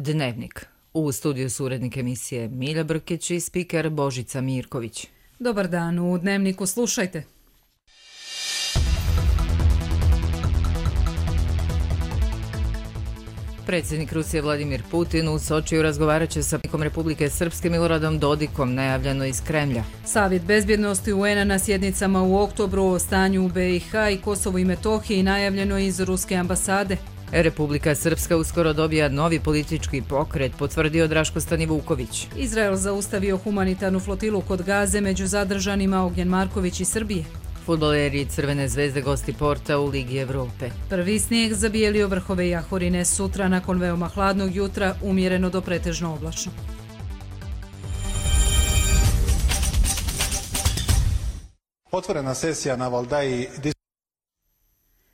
Dnevnik. U studiju su urednik emisije Milja Brkić i spiker Božica Mirković. Dobar dan, u Dnevniku slušajte. Predsjednik Rusije Vladimir Putin u Sočiju razgovarat će sa predsjednikom Republike Srpske Miloradom Dodikom, najavljeno iz Kremlja. Savjet bezbjednosti UN-a na sjednicama u oktobru o stanju u BiH i Kosovu i Metohiji najavljeno iz Ruske ambasade. Republika Srpska uskoro dobija novi politički pokret, potvrdio Draško Stanivuković. Izrael zaustavio humanitarnu flotilu kod Gaze, među zadržanima Ognjen Marković iz Srbije. Fudbaleri Crvene zvezde gosti Porta u Ligi Evrope. Prvi snijeg zabijelio vrhove Jahorine, sutra nakon veoma hladnog jutra umjereno do pretežno oblačno. Otvorena sesija na Valdaji.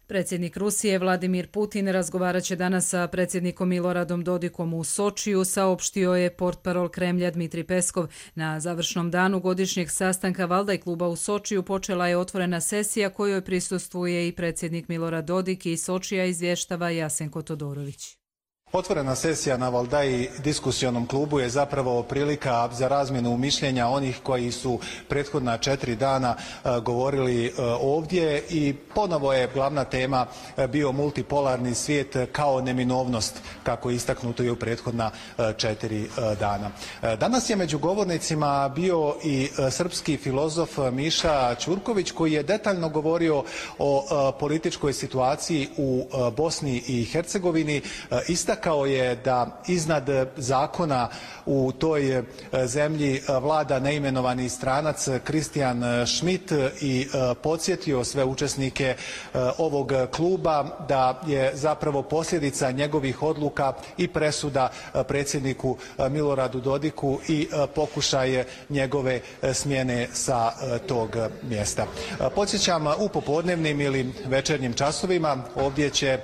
Predsjednik Rusije Vladimir Putin razgovarat će danas sa predsjednikom Miloradom Dodikom u Sočiju, saopštio je portparol Kremlja Dmitrij Peskov. Na završnom danu godišnjeg sastanka Valdaj kluba u Sočiju počela je otvorena sesija kojoj prisustvuje i predsjednik Milorad Dodik, i Sočija izvještava Jasenko Todorović. Otvorena sesija na Valdaji diskusionom klubu je zapravo prilika za razmjenu mišljenja onih koji su prethodna 4 dana govorili ovdje i ponovo je glavna tema bio multipolarni svijet kao neminovnost, kako je istaknuto i u prethodna 4 dana. Danas je među govornicima bio i srpski filozof Miša Ćurković, koji je detaljno govorio o političkoj situaciji u Bosni i Hercegovini. Istakao je da iznad zakona u toj zemlji vlada neimenovani stranac Kristijan Schmidt i podsjetio sve učesnike ovog kluba da je zapravo posljedica njegovih odluka i presuda predsjedniku Miloradu Dodiku i pokušaj njegove smjene sa tog mjesta. Podsjećam, u popodnevnim ili večernjim časovima ovdje će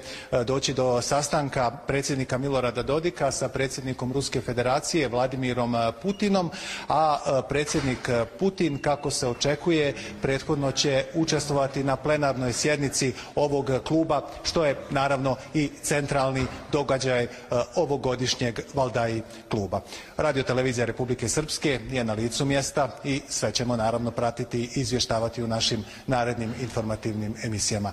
doći do sastanka predsjednika Milorada Dodika sa predsjednikom Ruske federacije Vladimirom Putinom, a predsjednik Putin, kako se očekuje, prethodno će učestvovati na plenarnoj sjednici ovog kluba, što je naravno i centralni događaj ovogodišnjeg Valdaji kluba. Radio-televizija Republike Srpske je na licu mjesta i sve ćemo naravno pratiti i izvještavati u našim narednim informativnim emisijama.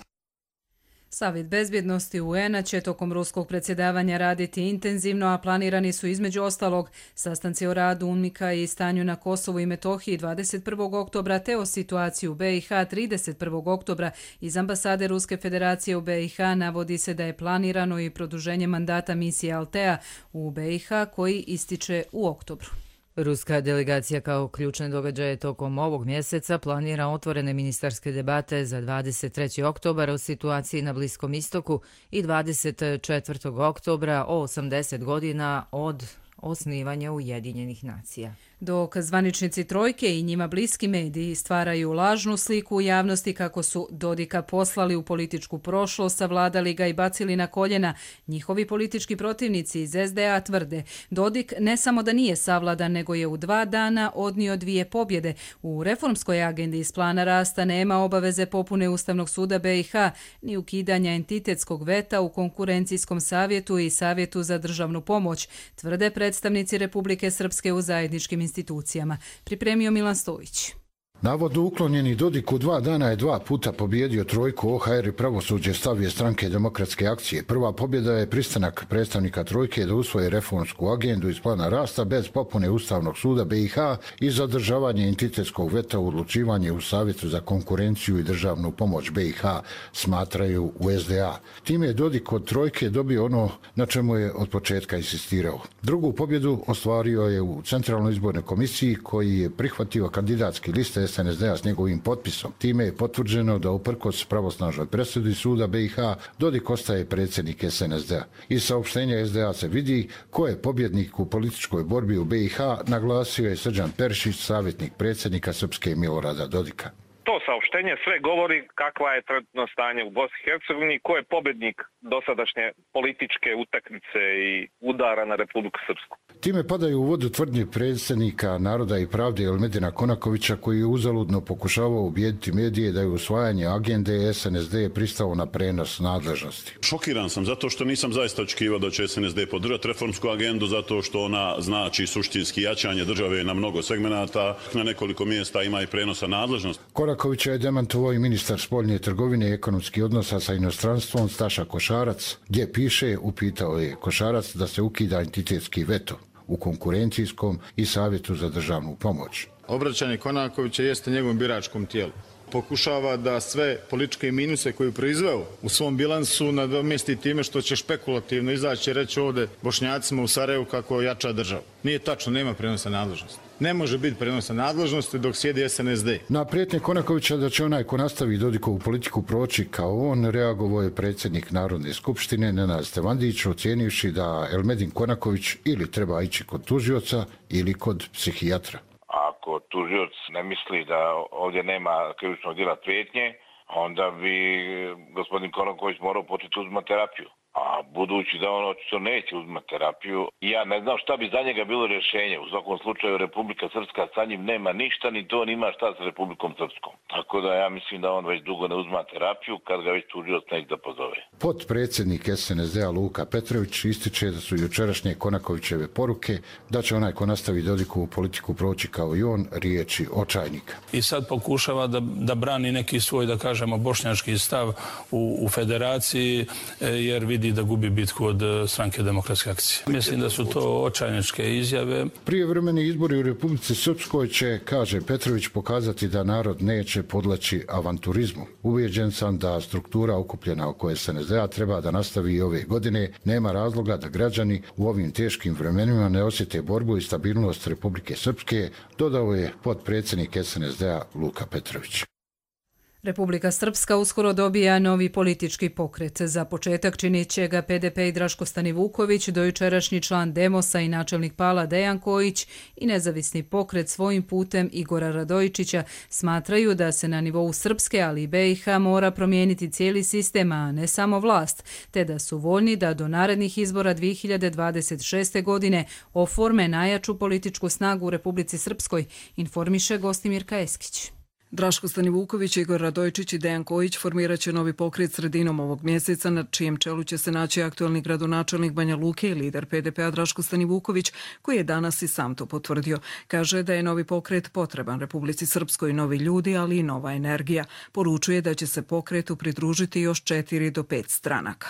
Savjet bezbjednosti UN-a će tokom ruskog predsjedavanja raditi intenzivno, a planirani su između ostalog sastanci o radu UNMIK-a i stanju na Kosovu i Metohiji 21. oktobra te o situaciji u BiH 31. oktobra. Iz ambasade Ruske federacije u BiH navodi se da je planirano i produženje mandata misije Altea u BiH koji ističe u oktobru. Ruska delegacija kao ključne događaje tokom ovog mjeseca planira otvorene ministarske debate za 23. oktobar o situaciji na Bliskom istoku i 24. oktobra o 80 godina od osnivanja Ujedinjenih nacija. Dok zvaničnici trojke i njima bliski mediji stvaraju lažnu sliku u javnosti kako su Dodika poslali u političku prošlost, savladali ga i bacili na koljena, njihovi politički protivnici iz SDA tvrde: Dodik ne samo da nije savladan, nego je u 2 dana odnio 2 pobjede. U reformskoj agendi iz plana rasta nema obaveze popune Ustavnog suda BiH, ni ukidanja entitetskog veta u konkurencijskom savjetu i savjetu za državnu pomoć, tvrde predstavnici Republike Srpske u zajedničkim institucijama. Pripremio Milan Stojić. Navodno uklonjeni Dodik u 2 dana je 2 puta pobijedio trojku. OHR i pravosuđe stavije stranke Demokratske akcije. Prva pobjeda je pristanak predstavnika trojke da usvoje reformsku agendu iz plana rasta bez popune Ustavnog suda BiH i zadržavanje entitetskog veta u odlučivanje u Savjetu za konkurenciju i državnu pomoć BiH, smatraju u SDA. Time je Dodik od trojke dobio ono na čemu je od početka insistirao. Drugu pobjedu ostvario je u Centralnoj izbornoj komisiji, koji je prihvatio kandidatski liste SNSD-a s njegovim potpisom. Time je potvrđeno da uprkos pravosnažnoj presudi suda BiH Dodik ostaje predsjednik SNSD-a. Iz saopštenja SDA se vidi ko je pobjednik u političkoj borbi u BiH, naglasio je Srđan Perišić, savjetnik predsjednika Srpske Milorada Dodika. To saopštenje saopštenje sve govori kakva je trenutno stanje u Bosni i Hercegovini, ko je pobednik dosadašnje političke utakmice i udara na Republiku Srpsku. Time padaju u vodu tvrdnje predsjednika Naroda i pravde Elmedina Konakovića, koji je uzaludno pokušavao ubijediti medije da je usvajanje agende SNSD pristao na prenos nadležnosti. Šokiran sam zato što nisam zaista očekivao da će SNSD podržati reformsku agendu, zato što ona znači suštinski jačanje države na mnogo segmenata. Na nekoliko mjesta ima i prenosa nadležnosti. Konakovića je demantovao i ministar spoljne trgovine i ekonomskih odnosa sa inostranstvom Staša Košarac, gdje piše, upitao je Košarac da se ukida entitetski veto u konkurencijskom i savjetu za državnu pomoć. Obraćanje Konakovića jeste njegovom biračkom tijelu. Pokušava da sve političke minuse koje je proizveo u svom bilansu nadomjesti time što će špekulativno izaći i reći ovdje Bošnjacima u Sarajevu kako jača državu. Nije tačno, nema prenosa nadležnosti. Ne može biti prenosa nadležnosti dok sjedi SNSD. Na prijetnje Konakovića da će onaj ko nastavi Dodikovu politiku proći kao on, reagovao je predsjednik Narodne skupštine Nenad Stevandić, ocijenivši da Elmedin Konaković ili treba ići kod tužioca ili kod psihijatra. Ako tužioc ne misli da ovdje nema krivičnog djela prijetnje, onda bi gospodin Konaković morao početi uzimati terapiju. A budući da on očito neće uzimati terapiju, ja ne znam šta bi za njega bilo rješenje. U svakom slučaju Republika Srpska sa njim nema ništa, ni to nima šta sa Republikom Srpskom. Tako da ja mislim da on već dugo ne uzima terapiju, kad ga već tužioc neće da pozove. Potpredsjednik SNSD-a Luka Petrović ističe da su jučerašnje Konakovićeve poruke da će onaj ko nastavi Dodikovu politiku proći kao i on riječi očajnika. I sad pokušava da brani neki svoj, da kažemo, bošnjački stav u federaciji, jer vidi da gubi bitku od Stranke demokratske akcije. Mislim da su to očajničke izjave. Prijevremeni izbori u Republici Srpskoj će, kaže Petrović, pokazati da narod neće podleći avanturizmu. Ubijeđen sam da struktura okupljena oko SNSD-a treba da nastavi i ove godine. Nema razloga da građani u ovim teškim vremenima ne osjete borbu i stabilnost Republike Srpske, dodao je potpredsjednik SNSD-a Luka Petrović. Republika Srpska uskoro dobija novi politički pokret. Za početak činit će ga PDP i Draško Stanivuković, dojučerašnji član Demosa i načelnik Pala Dejan Kojić i nezavisni pokret svojim putem Igora Radojičića smatraju da se na nivou Srpske, ali i BiH mora promijeniti cijeli sistem, a ne samo vlast, te da su voljni da do narednih izbora 2026. godine oforme najjaču političku snagu u Republici Srpskoj, informiše Gostimirka Eskić. Draško Stanivuković, Igor Radojičić i Dejan Kojić formirat će novi pokret sredinom ovog mjeseca, na čijem čelu će se naći aktualni gradonačelnik Banja Luke i lider PDP-a Draško Stanivuković, koji je danas i sam to potvrdio. Kaže da je novi pokret potreban Republici Srpskoj, novi ljudi, ali i nova energija. Poručuje da će se pokretu pridružiti još 4 do 5 stranaka.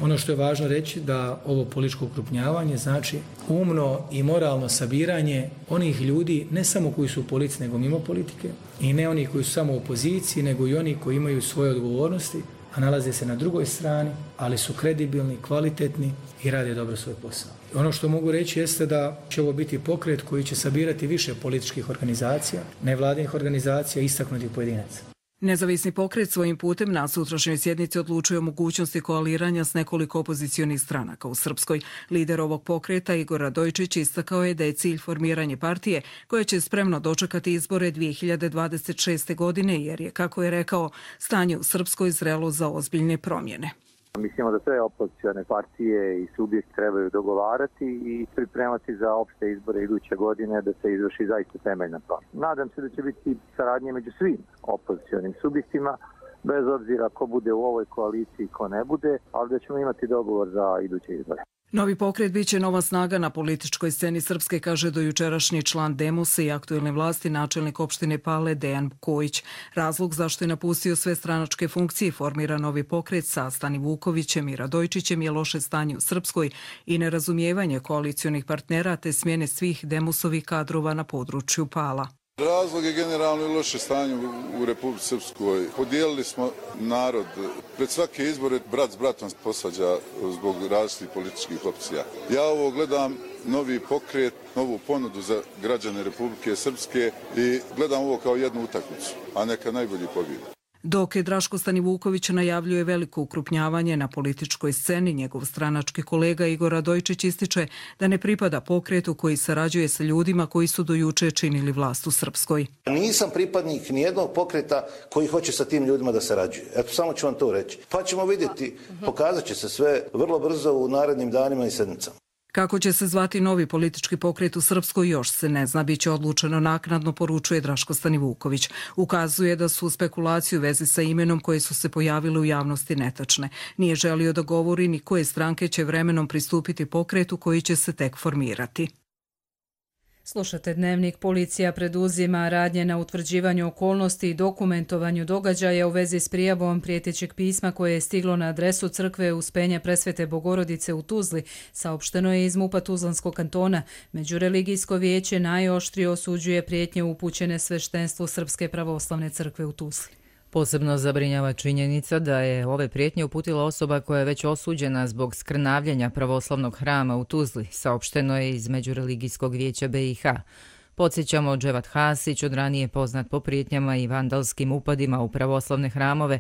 Ono što je važno reći da ovo političko okrupnjavanje znači umno i moralno sabiranje onih ljudi, ne samo koji su u politici nego mimo politike, i ne oni koji su samo u opoziciji, nego i oni koji imaju svoje odgovornosti, a nalaze se na drugoj strani, ali su kredibilni, kvalitetni i rade dobro svoj posao. Ono što mogu reći jeste da će ovo biti pokret koji će sabirati više političkih organizacija, nevladinih organizacija i istaknutih pojedinaca. Nezavisni pokret svojim putem na sutrašnjoj sjednici odlučuje o mogućnosti koaliranja s nekoliko opozicionih stranaka u Srpskoj. Lider ovog pokreta Igor Radojičić istakao je da je cilj formiranje partije koja će spremno dočekati izbore 2026. godine, jer je, kako je rekao, stanje u Srpskoj zrelo za ozbiljne promjene. Mislimo da sve opozicione partije i subjekti trebaju dogovarati i pripremati za opšte izbore iduće godine da se izvrši zaista temeljna promjena. Nadam se da će biti saradnje među svim opozicionim subjektima, bez obzira ko bude u ovoj koaliciji, ko ne bude, ali da ćemo imati dogovor za iduće izbore. Novi pokret biće nova snaga na političkoj sceni Srpske, kaže dojučerašnji član Demosa i aktuelne vlasti načelnik opštine Pale Dejan Kojić. Razlog zašto je napustio sve stranačke funkcije i formira novi pokret sa Stanivukovićem i Radojičićem je loše stanje u Srpskoj i nerazumijevanje koalicionih partnera te smjene svih Demosovih kadrova na području Pala. Razlog je generalno i loše stanje u Republici Srpskoj. Podijelili smo narod. Pred svake izbore brat s bratom posađa zbog različitih političkih opcija. Ja ovo gledam novi pokret, novu ponudu za građane Republike Srpske i gledam ovo kao jednu utakmicu, a neka najbolji pobjede. Dok je Draško Stanivuković najavljuje veliko ukrupnjavanje na političkoj sceni, njegov stranački kolega Igor Radojčić ističe da ne pripada pokretu koji sarađuje sa ljudima koji su do juče činili vlast u Srpskoj. Nisam pripadnik nijednog pokreta koji hoće sa tim ljudima da sarađuje. Eto, samo ću vam to reći. Pa ćemo vidjeti, pokazat će se sve vrlo brzo u narednim danima i sedmicama. Kako će se zvati novi politički pokret u Srpskoj još se ne zna, biće odlučeno naknadno, poručuje Draško Stanivuković. Ukazuje da su spekulacije u vezi sa imenom koje su se pojavile u javnosti netačne. Nije želio da govori ni koje stranke će vremenom pristupiti pokretu koji će se tek formirati. Slušate Dnevnik. Policija preduzima radnje na utvrđivanju okolnosti i dokumentovanju događaja u vezi s prijavom prijetećeg pisma koje je stiglo na adresu crkve Uspenja Presvete Bogorodice u Tuzli. Saopšteno je iz MUP-a Tuzlanskog kantona. Međureligijsko vijeće najoštrije osuđuje prijetnje upućene sveštenstvu Srpske pravoslavne crkve u Tuzli. Posebno zabrinjava činjenica da je ove prijetnje uputila osoba koja je već osuđena zbog skrnavljenja pravoslavnog hrama u Tuzli, saopšteno je iz Međureligijskog vijeća BiH. Podsjećamo, Dževat Hasić, od ranije poznat po prijetnjama i vandalskim upadima u pravoslavne hramove,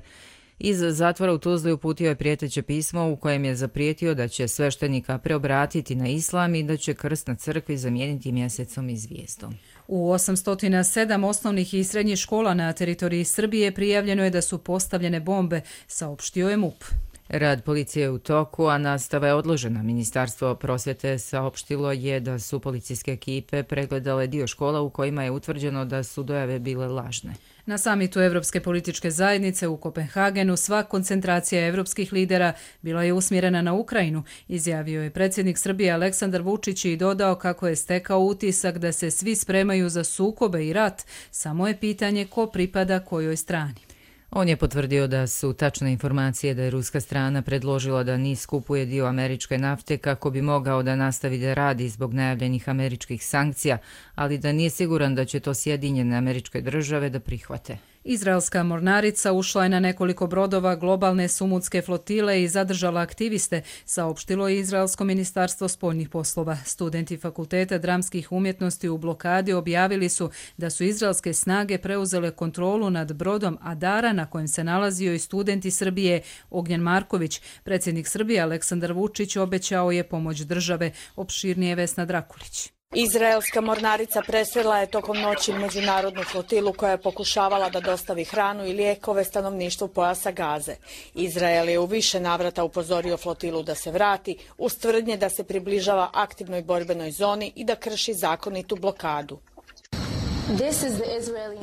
iz zatvora u Tuzli uputio je prijeteće pismo u kojem je zaprijetio da će sveštenika preobratiti na islam i da će krst na crkvi zamijeniti mjesecom i zvijezdom. U 807 osnovnih i srednjih škola na teritoriji Srbije prijavljeno je da su postavljene bombe, saopštio je MUP. Rad policije je u toku, a nastava je odložena. Ministarstvo prosvjete saopštilo je da su policijske ekipe pregledale dio škola u kojima je utvrđeno da su dojave bile lažne. Na samitu Evropske političke zajednice u Kopenhagenu sva koncentracija evropskih lidera bila je usmjerena na Ukrajinu, izjavio je predsjednik Srbije Aleksandar Vučić i dodao kako je stekao utisak da se svi spremaju za sukobe i rat, samo je pitanje ko pripada kojoj strani. On je potvrdio da su tačne informacije da je ruska strana predložila da NIS kupuje dio američke nafte kako bi mogao da nastavi da radi zbog najavljenih američkih sankcija, ali da nije siguran da će to Sjedinjene Američke Države da prihvate. Izraelska mornarica ušla je na nekoliko brodova globalne sumudske flotile i zadržala aktiviste, saopštilo je Izraelsko ministarstvo spoljnih poslova. Studenti Fakulteta dramskih umjetnosti u blokadi objavili su da su izraelske snage preuzele kontrolu nad brodom Adara na kojem se nalazio i student iz Srbije Ognjen Marković. Predsjednik Srbije Aleksandar Vučić obećao je pomoć države, opširnije Vesna Drakulić. Izraelska mornarica presrela je tokom noći međunarodnu flotilu koja je pokušavala da dostavi hranu i lijekove stanovništvu pojasa Gaze. Izrael je u više navrata upozorio flotilu da se vrati, uz tvrdnje da se približava aktivnoj borbenoj zoni i da krši zakonitu blokadu.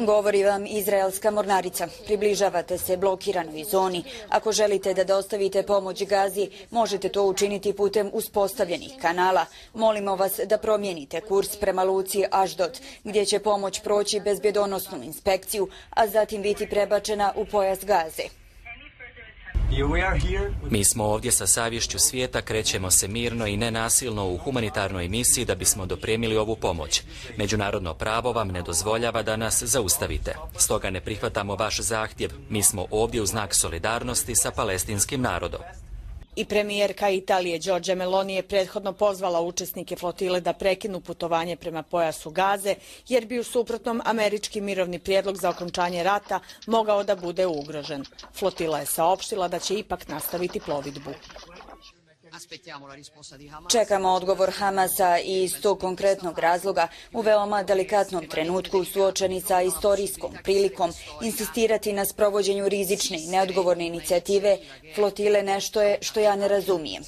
Govori vam izraelska mornarica. Približavate se blokiranoj zoni. Ako želite da dostavite pomoć Gazi, možete to učiniti putem uspostavljenih kanala. Molimo vas da promijenite kurs prema luci Aždod, gdje će pomoć proći bezbjedonosnu inspekciju, a zatim biti prebačena u pojas Gaze. Mi smo ovdje sa savješću svijeta, krećemo se mirno i nenasilno u humanitarnoj misiji da bismo dopremili ovu pomoć. Međunarodno pravo vam ne dozvoljava da nas zaustavite. Stoga ne prihvatamo vaš zahtjev. Mi smo ovdje u znak solidarnosti sa palestinskim narodom. I premijerka Italije Giorgia Meloni je prethodno pozvala učesnike flotile da prekinu putovanje prema pojasu Gaze, jer bi u suprotnom američki mirovni prijedlog za okončanje rata mogao da bude ugrožen. Flotila je saopštila da će ipak nastaviti plovidbu. Čekamo odgovor Hamasa i iz tog konkretnog razloga u veoma delikatnom trenutku suočeni sa istorijskom prilikom insistirati na sprovođenju rizične i neodgovorne inicijative flotile nešto je što ja ne razumijem.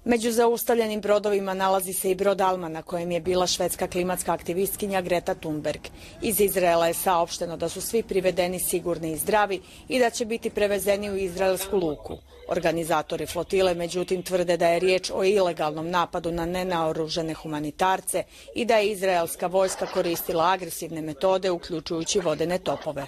Među zaustavljenim brodovima nalazi se i brod Alma na kojem je bila švedska klimatska aktivistkinja Greta Thunberg. Iz Izraela je saopšteno da su svi privedeni sigurni i zdravi i da će biti prevezeni u izraelsku luku. Organizatori flotile međutim tvrde da je riječ o ilegalnom napadu na nenaoružane humanitarce i da je izraelska vojska koristila agresivne metode uključujući vodene topove.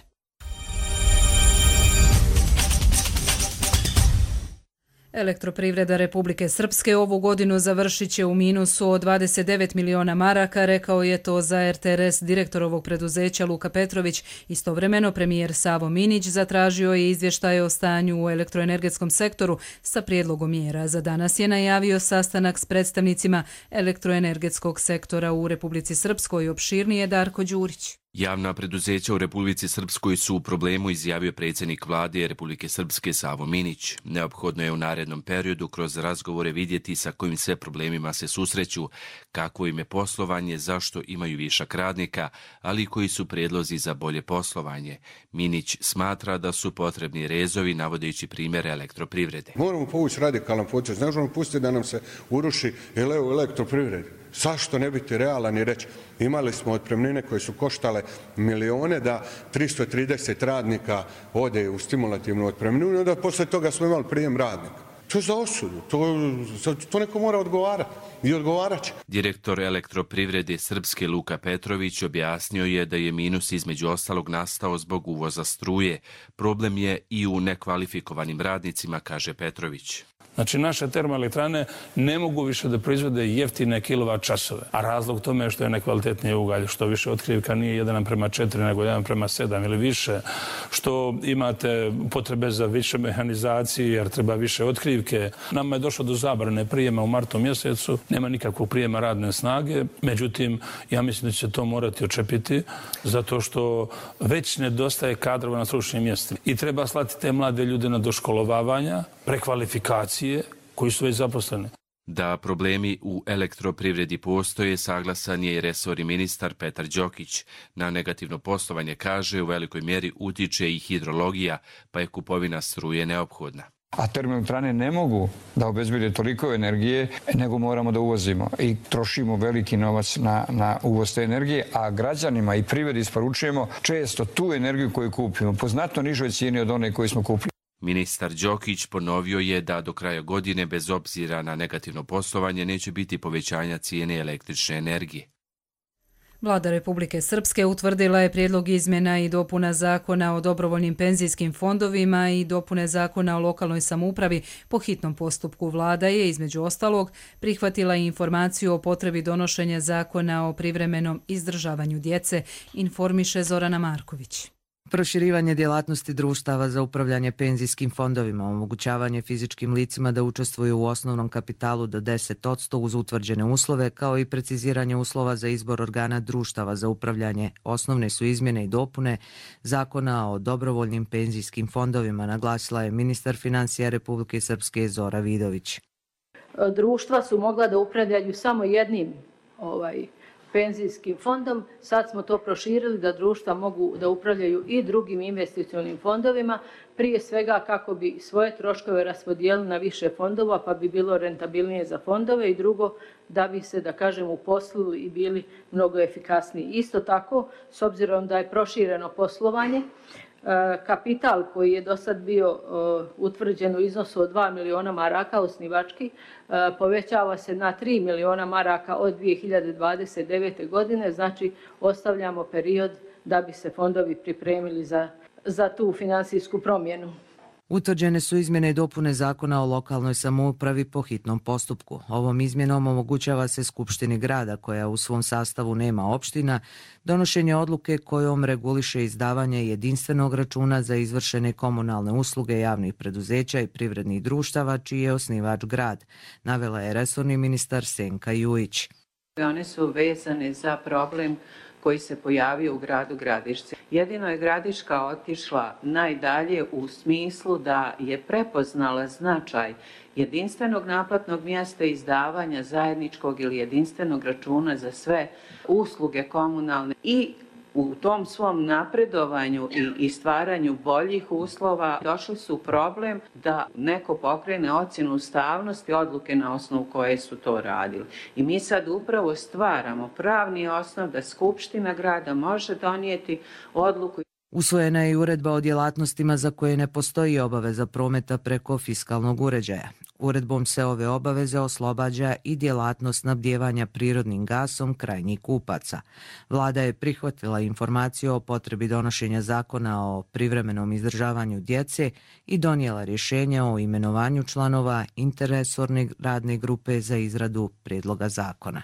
Elektroprivreda Republike Srpske ovu godinu završit će u minusu od 29 miliona maraka, rekao je to za RTRS direktor ovog preduzeća Luka Petrović. Istovremeno premijer Savo Minić zatražio je izvještaje o stanju u elektroenergetskom sektoru sa prijedlogom mjera. Za danas je najavio sastanak s predstavnicima elektroenergetskog sektora u Republici Srpskoj. Opširnije Darko Đurić. Javna preduzeća u Republici Srpskoj su u problemu, izjavio predsjednik vlade Republike Srpske Savo Minić. Neophodno je u narednom periodu kroz razgovore vidjeti sa kojim sve problemima se susreću, kakvo im je poslovanje, zašto imaju višak radnika, ali i koji su prijedlozi za bolje poslovanje. Minić smatra da su potrebni rezovi, navodeći primjere elektroprivrede. Moramo povući radikalan potez, ne možemo pustiti da nam se uruši elektroprivrede. Zašto ne biti realan i reći imali smo otpremnine koje su koštale milijone da 330 radnika ode u stimulativnu otpremninu, da posle toga smo imali prijem radnika. To je za osudu, to neko mora odgovarati i odgovarat će. Direktor elektroprivrede Srpske Luka Petrović objasnio je da je minus između ostalog nastao zbog uvoza struje. Problem je i u nekvalifikovanim radnicima, kaže Petrović. Znači, naše termoelektrane ne mogu više da proizvode jeftine kilovat časove. A razlog tome je što je nekvalitetnije ugalj, što više otkrivka nije 1:4 nego 1:7 ili više, što imate potrebe za više mehanizacije jer treba više otkrivke. Nama je došlo do zabrane prijema u martu mjesecu, nema nikakvog prijema radne snage, međutim, ja mislim da će to morati očepiti zato što već nedostaje kadrova na stručnim mjestima. I treba slati te mlade ljude na doškolovavanja, prekvalifikacije, koji su već zaposleni. Da problemi u elektroprivredi postoje, saglasan je i resorni ministar Petar Đokić. Na negativno poslovanje, kaže, u velikoj mjeri utiče i hidrologija, pa je kupovina struje neophodna. A termoelektrane ne mogu da obezbede toliko energije, nego moramo da uvozimo i trošimo veliki novac na uvoz te energije, a građanima i privredi isporučujemo često tu energiju koju kupimo po znatno nižoj cijeni od one koju smo kupili. Ministar Đokić ponovio je da do kraja godine, bez obzira na negativno poslovanje, neće biti povećanja cijene električne energije. Vlada Republike Srpske utvrdila je prijedlog izmjena i dopuna zakona o dobrovoljnim penzijskim fondovima i dopune zakona o lokalnoj samoupravi po hitnom postupku. Vlada je, između ostalog, prihvatila i informaciju o potrebi donošenja zakona o privremenom izdržavanju djece, informiše Zorana Marković. Proširivanje djelatnosti društava za upravljanje penzijskim fondovima, omogućavanje fizičkim licima da učestvuju u osnovnom kapitalu do 10% uz utvrđene uslove, kao i preciziranje uslova za izbor organa društava za upravljanje, osnovne su izmjene i dopune zakona o dobrovoljnim penzijskim fondovima, naglasila je ministar financija Republike Srpske Zora Vidović. Društva su mogla da upravljaju samo jednim penzijskim fondom, sad smo to proširili da društva mogu da upravljaju i drugim investicionim fondovima, prije svega kako bi svoje troškove raspodijelili na više fondova pa bi bilo rentabilnije za fondove i drugo da bi se, da kažem, uposlili i bili mnogo efikasniji. Isto tako, s obzirom da je prošireno poslovanje, kapital koji je do sad bio utvrđen u iznosu od 2 miliona maraka osnivački povećava se na 3 miliona maraka od 2029. godine, znači ostavljamo period da bi se fondovi pripremili za tu finansijsku promjenu. Utvrđene su izmjene i dopune zakona o lokalnoj samoupravi po hitnom postupku. Ovom izmjenom omogućava se Skupštini grada, koja u svom sastavu nema opština, donošenje odluke kojom reguliše izdavanje jedinstvenog računa za izvršene komunalne usluge javnih preduzeća i privrednih društava, čiji je osnivač grad, navela je resorni ministar Senka Jujić. One su vezane za problem koji se pojavio u gradu Gradišci. Jedino je Gradiška otišla najdalje u smislu da je prepoznala značaj jedinstvenog naplatnog mjesta izdavanja zajedničkog ili jedinstvenog računa za sve usluge komunalne i u tom svom napredovanju i stvaranju boljih uslova došli su u problem da neko pokrene ocjenu ustavnosti odluke na osnovu koje su to radili. I mi sad upravo stvaramo pravni osnov da Skupština grada može donijeti odluku. Usvojena je i uredba o djelatnostima za koje ne postoji obaveza prometa preko fiskalnog uređaja. Uredbom se ove obaveze oslobađa i djelatnost snabdijevanja prirodnim gasom krajnjih kupaca. Vlada je prihvatila informaciju o potrebi donošenja zakona o privremenom izdržavanju djece i donijela rješenje o imenovanju članova interresorne radne grupe za izradu prijedloga zakona.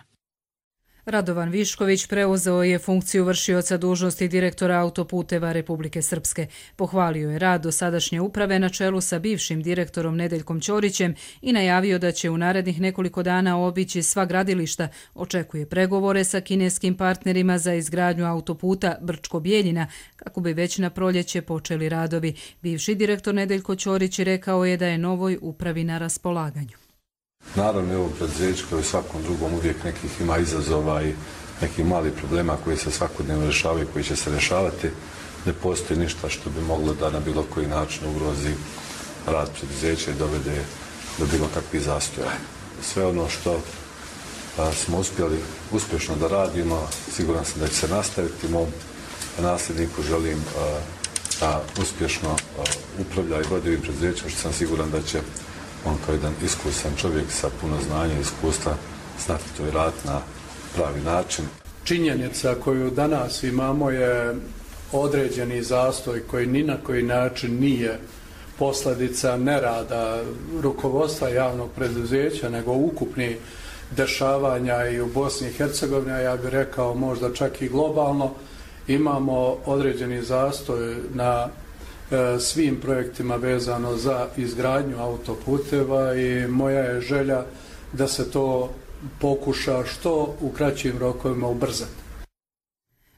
Radovan Višković preuzeo je funkciju vršioca dužnosti direktora Autoputeva Republike Srpske. Pohvalio je rad dosadašnje uprave na čelu sa bivšim direktorom Nedeljkom Ćorićem i najavio da će u narednih nekoliko dana obići sva gradilišta. Očekuje pregovore sa kineskim partnerima za izgradnju autoputa Brčko-Bjeljina, kako bi već na proljeće počeli radovi. Bivši direktor Nedeljko Ćorić rekao je da je novoj upravi na raspolaganju. Naravno je ovo preduzeće kao i svakom drugom uvijek nekih ima izazova i nekih malih problema koji se svakodnevno rješavaju i koji će se rješavati. Ne postoji ništa što bi moglo da na bilo koji način ugrozi rad preduzeća i dovede do bilo kakvih zastoja. Sve ono što smo uspjeli uspješno da radimo, siguran sam da će se nastaviti. Mom nasljedniku želim da uspješno upravlja i vodi ovim preduzećem, što sam siguran da će on kao jedan iskusan čovjek sa puno znanja i iskustva znati to i raditi na pravi način. Činjenica koju danas imamo je određeni zastoj koji ni na koji način nije posljedica nerada rukovodstva javnog preduzeća, nego ukupni dešavanja i u Bosni i Hercegovini, a ja bih rekao možda čak i globalno. Imamo određeni zastoj na svim projektima vezano za izgradnju autoputeva i moja je želja da se to pokuša što u kraćim rokovima ubrzati.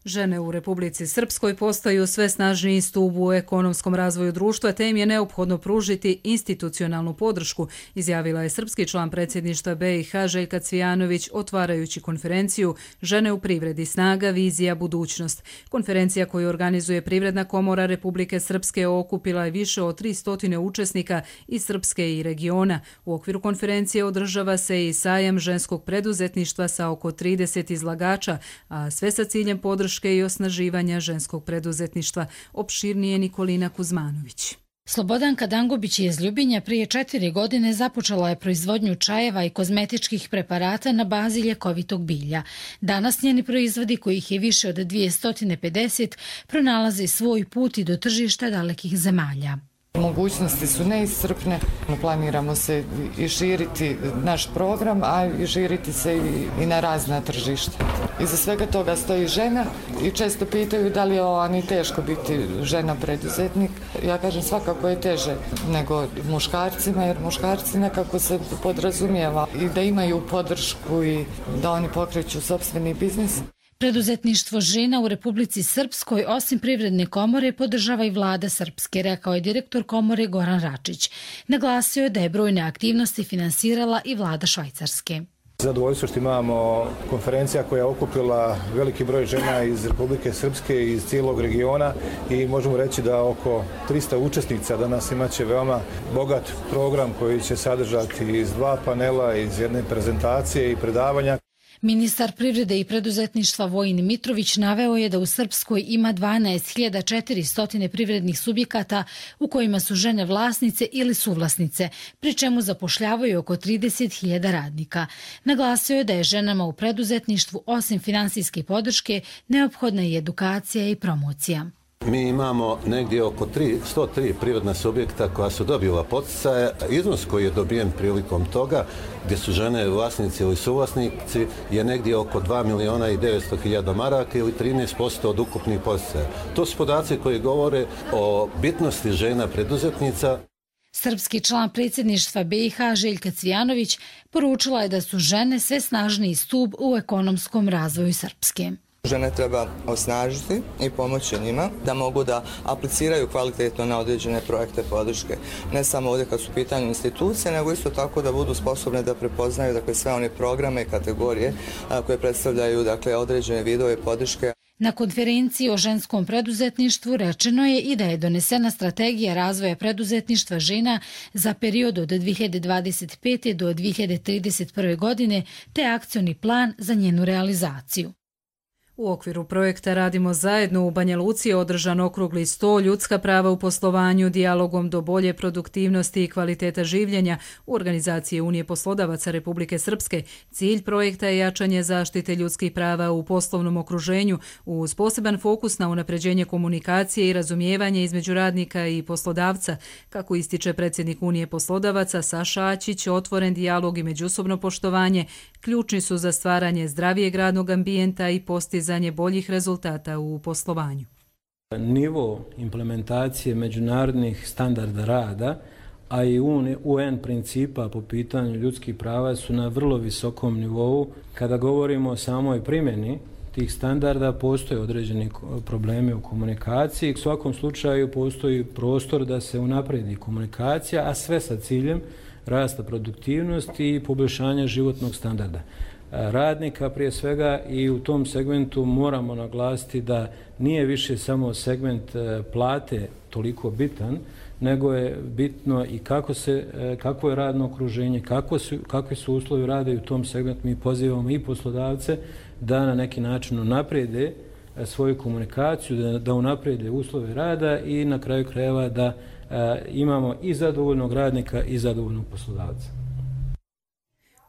Žene u Republici Srpskoj postaju sve snažniji stup u ekonomskom razvoju društva, te im je neophodno pružiti institucionalnu podršku, izjavila je srpski član predsjedništva BiH Željka Cvijanović otvarajući konferenciju Žene u privredi, snaga, vizija, budućnost. Konferencija koju organizuje Privredna komora Republike Srpske okupila je više od 300 učesnika iz Srpske i regiona. U okviru konferencije održava se i sajam ženskog preduzetništva sa oko 30 izlagača, a sve sa ciljem podrške i osnaživanja ženskog preduzetništva. Opširnije Nikolina Kuzmanović. Slobodanka Dangubić iz Ljubinja prije 4 godine započela je proizvodnju čajeva i kozmetičkih preparata na bazi ljekovitog bilja. Danas njeni proizvodi, kojih je više od 250, pronalaze svoj put i do tržišta dalekih zemalja. Mogućnosti su neiscrpne, planiramo se i širiti naš program, a i širiti se i na razna tržišta. Iza svega toga stoji žena i često pitaju da li je ni teško biti žena preduzetnik. Ja kažem svakako je teže nego muškarcima, jer muškarci nekako se podrazumijeva i da imaju podršku i da oni pokreću sopstveni biznis. Preduzetništvo žena u Republici Srpskoj osim Privredne komore podržava i vlada Srpske, rekao je direktor komore Goran Račić. Naglasio je da je brojne aktivnosti finansirala i vlada Švajcarske. Zadovoljstvo što imamo konferencija koja je okupila veliki broj žena iz Republike Srpske i iz cijelog regiona i možemo reći da oko 300 učesnica danas imaće veoma bogat program koji će sadržati iz 2 panela, iz jedne prezentacije i predavanja. Ministar privrede i preduzetništva Vojin Mitrović naveo je da u Srpskoj ima 12.400 privrednih subjekata u kojima su žene vlasnice ili suvlasnice, pri čemu zapošljavaju oko 30.000 radnika. Naglasio je da je ženama u preduzetništvu osim finansijske podrške neophodna i edukacija i promocija. Mi imamo negdje oko 103 privredna subjekta koja su dobila poticaje. Iznos koji je dobijen prilikom toga, gdje su žene vlasnici ili suvlasnici, je negdje oko 2.900.000 maraka ili 13% od ukupnih poticaja. To su podaci koji govore o bitnosti žena preduzetnica. Srpski član predsjedništva BiH Željka Cvijanović poručila je da su žene sve snažniji stup u ekonomskom razvoju Srpske. Žene treba osnažiti i pomoći njima da mogu da apliciraju kvalitetno na određene projekte podrške. Ne samo ovdje kad su pitanju institucije, nego isto tako da budu sposobne da prepoznaju sve one programe i kategorije koje predstavljaju određene vidove podrške. Na konferenciji o ženskom preduzetništvu rečeno je i da je donesena strategija razvoja preduzetništva žena za period od 2025. do 2031. godine te akcioni plan za njenu realizaciju. U okviru projekta Radimo zajedno u Banja Luci je održan okrugli sto ljudska prava u poslovanju dijalogom do bolje produktivnosti i kvaliteta življenja u organizaciji Unije poslodavaca Republike Srpske. Cilj projekta je jačanje zaštite ljudskih prava u poslovnom okruženju uz poseban fokus na unapređenje komunikacije i razumijevanje između radnika i poslodavca. Kako ističe predsjednik Unije poslodavaca Saša Aćić, otvoren dijalog i međusobno poštovanje ključni su za stvaranje zdravijeg radnog ambijenta i postizanje boljih rezultata u poslovanju. Nivo implementacije međunarodnih standarda rada, a i UN principa po pitanju ljudskih prava su na vrlo visokom nivou. Kada govorimo o samoj primjeni tih standarda, postoje određeni problemi u komunikaciji. U svakom slučaju postoji prostor da se unaprijedi komunikacija, a sve sa ciljem rasta produktivnosti i poboljšanja životnog standarda radnika prije svega, i u tom segmentu moramo naglasiti da nije više samo segment plate toliko bitan, nego je bitno i kakvo je radno okruženje, kakvi su uslovi rada, i u tom segmentu mi pozivamo i poslodavce da na neki način unaprijede svoju komunikaciju, da unaprijede uslove rada i na kraju krajeva da imamo i zadovoljnog radnika i zadovoljnog poslodavca.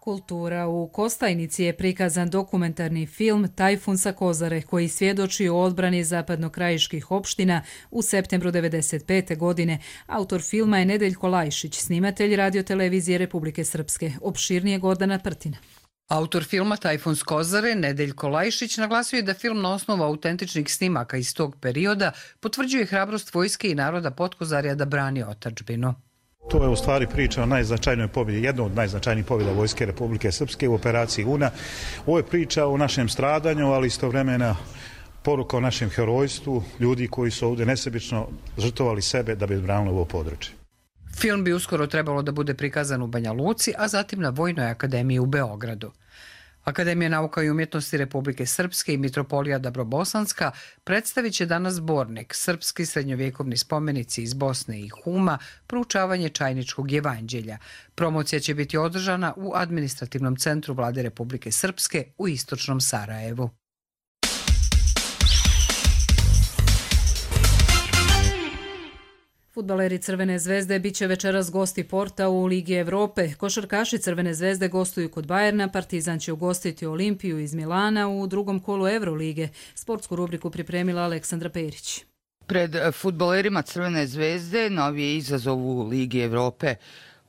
Kultura. U Kostajnici je prikazan dokumentarni film Tajfun sa Kozare, koji svjedoči o odbrani zapadnokrajiških opština u septembru 1995. godine. Autor filma je Nedeljko Lajšić, snimatelj radiotelevizije Republike Srpske. Opširnije Gordana Prtina. Autor filma Tajfun s Kozare, Nedeljko Lajšić, naglasio je da film na osnovu autentičnih snimaka iz tog perioda potvrđuje hrabrost vojske i naroda Potkozarja da brani otadžbinu. To je u stvari priča o najznačajnoj pobjedi, jedna od najznačajnijih pobjeda Vojske Republike Srpske u operaciji Una. Ovo je priča o našem stradanju, ali istovremeno poruka o našem herojstvu, ljudi koji su ovdje nesebično žrtvovali sebe da bi odbranili ovo područje. Film bi uskoro trebalo da bude prikazan u Banja Luci, a zatim na Vojnoj akademiji u Beogradu. Akademija nauka i umjetnosti Republike Srpske i Mitropolija Dabrobosanska predstavit će danas zbornik Srpski srednjovjekovni spomenici iz Bosne i Huma, proučavanje Čajničkog jevanđelja. Promocija će biti održana u administrativnom centru Vlade Republike Srpske u istočnom Sarajevu. Fudbaleri Crvene zvezde bit će večeras gosti Porta u Ligi Evrope. Košarkaši Crvene zvezde gostuju kod Bajerna, Partizan će ugostiti Olimpiju iz Milana u drugom kolu Evrolige. Sportsku rubriku pripremila Aleksandra Perić. Pred fudbalerima Crvene zvezde novi je izazov u Ligi Evrope.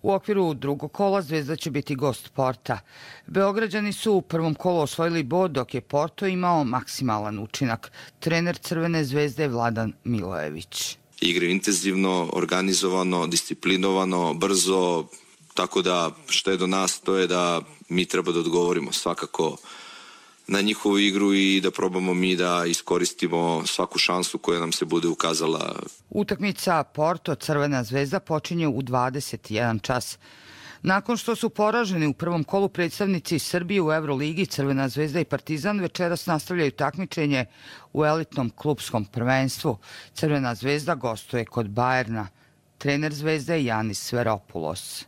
U okviru drugog kola Zvezda će biti gost Porta. Beograđani su u prvom kolu osvojili bod, dok je Porto imao maksimalan učinak. Trener Crvene zvezde je Vladan Milojević. Igre intenzivno, organizovano, disciplinovano, brzo, tako da što je do nas to je da mi treba da odgovorimo svakako na njihovu igru i da probamo mi da iskoristimo svaku šansu koja nam se bude ukazala. Utakmica Porto Crvena zvezda počinje u 21 čas. Nakon što su poraženi u prvom kolu predstavnici Srbije u Euroligi, Crvena zvezda i Partizan večeras nastavljaju takmičenje u elitnom klupskom prvenstvu. Crvena zvezda gostuje kod Bajerna. Trener Zvezde je Janis Sveropoulos.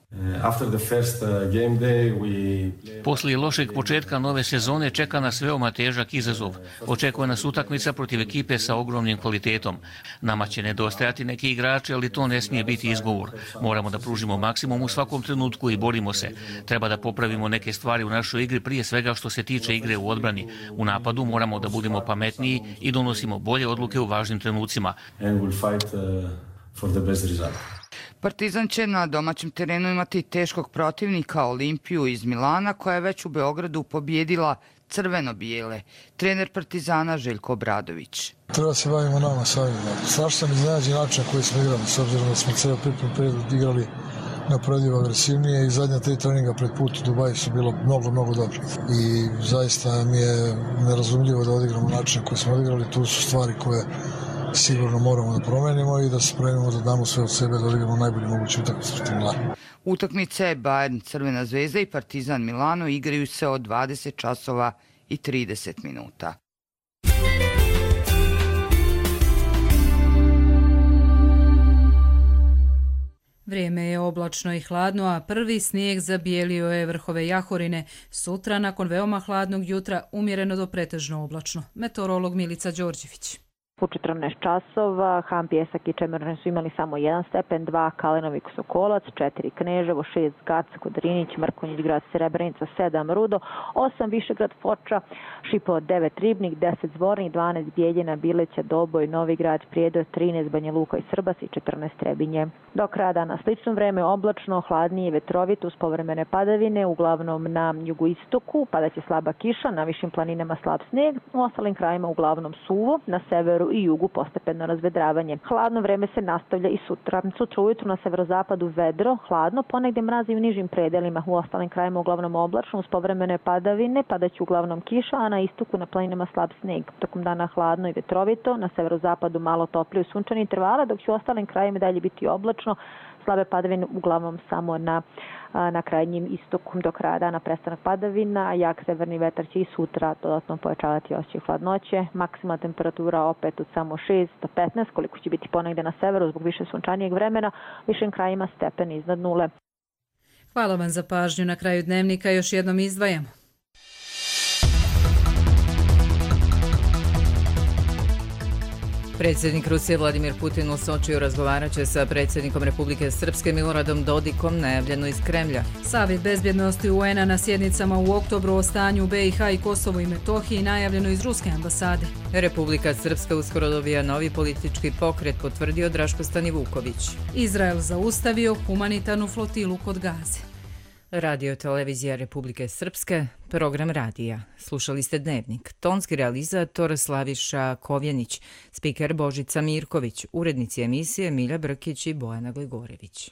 Poslije lošeg početka nove sezone čeka nas veoma težak izazov. Očekuje nas utakmica protiv ekipe sa ogromnim kvalitetom. Nama će nedostajati neki igrači, ali to ne smije biti izgovor. Moramo da pružimo maksimum u svakom trenutku i borimo se. Treba da popravimo neke stvari u našoj igri, prije svega što se tiče igre u odbrani. U napadu moramo da budemo pametniji i donosimo bolje odluke u važnim trenucima. Partizan će na domaćem terenu imati teškog protivnika Olimpiju iz Milana, koja je već u Beogradu pobjedila crveno-bijele. Trener Partizana Željko Obradović. Treba se bavimo nama samima. Strašno sam iznenađen način na koji smo igrali, s obzirom da smo cijel pripremni period igrali napravljivo agresivnije i zadnja 3 treninga pred put u Dubaju su bilo mnogo dobro. I zaista mi je nerazumljivo da odigramo način koji smo odigrali. Tu su stvari koje sigurno moramo da promenimo i da se spremimo da damo sve od sebe da odigramo najbolji mogući utakmicu protiv Milana. Utakmice Bayern Crvena zvezda i Partizan Milano igraju se od 20 časova i 30 minuta. Vrijeme je oblačno i hladno, a prvi snijeg zabijelio je vrhove Jahorine. Sutra, nakon veoma hladnog jutra, umjereno do pretežno oblačno. Meteorolog Milica Đorđević. U 14 časova Han Pjesak i Čemerne su imali samo 1 stepen, 2 Kalenovik Sokolac, 4 Kneževo, 6 Gac, Kodrinić, Mrkonjić Grad, Srebrenica, 7 Rudo, 8 Višegrad Foča, Šipovo 9 Ribnik, 10 Zvornik, 12 Bijeljina, Bileća, Doboj, Novi Grad, Prijedor, 13 Banja Luka i Srbas i 14 Trebinje. Do kraja dana slično vreme, oblačno, hladnije i vetrovito uz povremene padavine, uglavnom na jugoistoku padaće slaba kiša, na višim planinama slab sneg, u ostalim krajima uglavnom suvo, na severu i jugu postepeno razvedravanje. Hladno vreme se nastavlja i sutra. Sutra ujutru na severozapadu vedro, hladno, ponegde mrazi u nižim predelima, u ostalim krajima uglavnom oblačno uz povremene padavine, padaće uglavnom kiša, a na istoku na planinama slab sneg. Tokom dana hladno i vetrovito, na severozapadu malo toplije u sunčani intervala, dok će u ostalim krajima dalje biti oblačno, slabe padavine uglavnom samo na krajnjim istoku. Do kraja dana prestanak padavina, a jak severni vetar će i sutra dodatno pojačavati osjećaj hladnoće. Maksimalna temperatura opet od samo 6 do 15, koliko će biti ponegde na severu zbog više sunčanijeg vremena, višim krajima stepen iznad nule. Hvala vam za pažnju. Na kraju dnevnika još jednom izdvajamo. Predsjednik Rusije Vladimir Putin u Sočiju razgovarat će sa predsjednikom Republike Srpske Miloradom Dodikom, najavljeno iz Kremlja. Savjet bezbjednosti UN-a na sjednicama u oktobru o stanju BiH i Kosovu i Metohiji najavljeno iz Ruske ambasade. Republika Srpska uskoro dobija novi politički pokret, potvrdio Draško Stanivuković. Izrael zaustavio humanitarnu flotilu kod Gaze. Radio televizija Republike Srpske, program radija. Slušali ste Dnevnik. Tonski realizator Slaviša Kovjenić, spiker Božica Mirković, urednici emisije Milja Brkić i Bojana Glegorević.